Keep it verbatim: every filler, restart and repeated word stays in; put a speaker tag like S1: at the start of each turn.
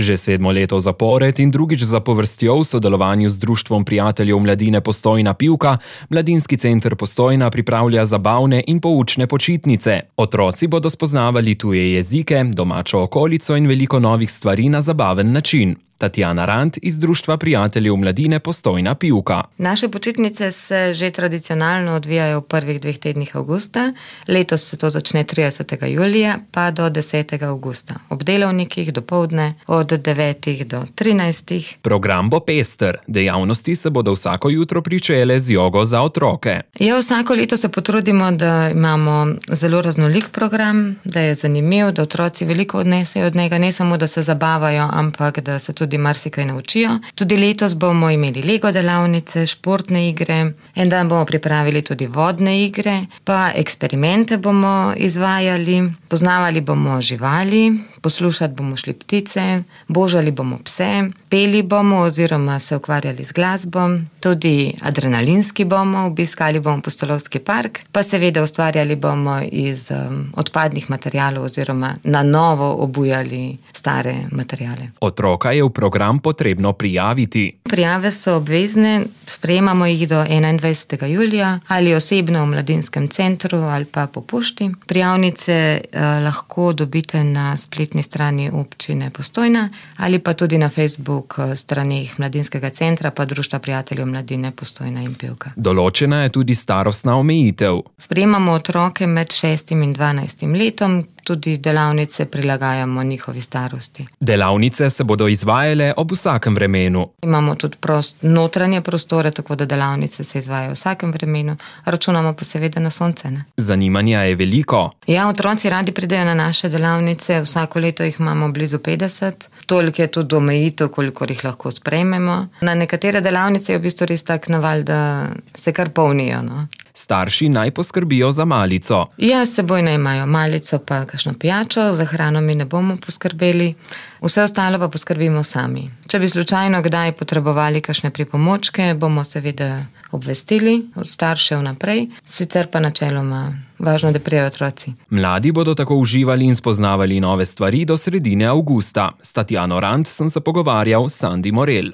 S1: Že sedmo leto zapored in drugič zapovrstjo v sodelovanju z Društvom prijateljev mladine Postojna Pivka, Mladinski center Postojna pripravlja zabavne in poučne počitnice. Otroci bodo spoznavali tuje jezike, domačo okolico in veliko novih stvari na zabaven način. Tatjana Rant iz Društva prijateljev mladine Postojna Pivka.
S2: Naše počitnice se že tradicionalno odvijajo v prvih dveh tednih avgusta. Letos se to začne tridesetega julija pa do desetega avgusta. Ob delavnikih dopoldne od devetih do trinajstih.
S1: Program bo pester. Dejavnosti se bodo vsako jutro pričele z jogo za otroke.
S2: Ja, vsako leto se potrudimo, da imamo zelo raznolik program, da je zanimiv, da otroci veliko odnesejo od njega, ne samo, da se zabavajo, ampak da se tudi marsikaj naučijo. Tudi letos bomo imeli Lego delavnice, športne igre, en dan bomo pripravili tudi vodne igre, pa eksperimente bomo izvajali, poznavali bomo živali, poslušati bomo šli ptice, božali bomo pse, peli bomo oziroma se ukvarjali z glasbo, tudi adrenalinski bomo, obiskali bomo Pustolovski park, pa seveda ustvarjali bomo iz um, odpadnih materialov oziroma na novo obujali stare materiale.
S1: Otroka je v program potrebno prijaviti.
S2: Prijave so obvezne, sprejemamo jih do enaindvajsetega julija ali osebno v Mladinskem centru ali pa po pošti. Prijavnice eh, lahko dobite na spletni strani občine Postojna ali pa tudi na Facebook straneh Mladinskega centra pa Društva prijateljev mladine Postojna in Pivka.
S1: Določena je tudi starostna omejitev.
S2: Sprejemamo otroke med šestim in dvanajstim letom, tudi delavnice prilagajamo njihovi starosti.
S1: Delavnice se bodo izvajale ob vsakem vremenu.
S2: Imamo tudi prost, notranje prostore, tako da delavnice se izvajajo v vsakem vremenu, računamo pa seveda na sonce. Ne?
S1: Zanimanja je veliko.
S2: Ja, otroci radi pridejo na naše delavnice, vsako leto jih imamo blizu petdeset, toliko je tudi omejitev, koliko jih lahko sprejmemo. Na nekatere delavnice je v bistvu res tak naval, da se kar polnijo. No?
S1: Starši naj poskrbijo za malico.
S2: Ja, s seboj naj imajo malico pa kakšno pijačo, za hrano mi ne bomo poskrbeli, vse ostalo pa poskrbimo sami. Če bi slučajno kdaj potrebovali kakšne pripomočke, bomo seveda obvestili od staršev naprej, sicer pa načeloma važno, da prijajo otroci.
S1: Mladi bodo tako uživali in spoznavali nove stvari do sredine avgusta. S Tatjano Rant sem se pogovarjal s Sandi Morel.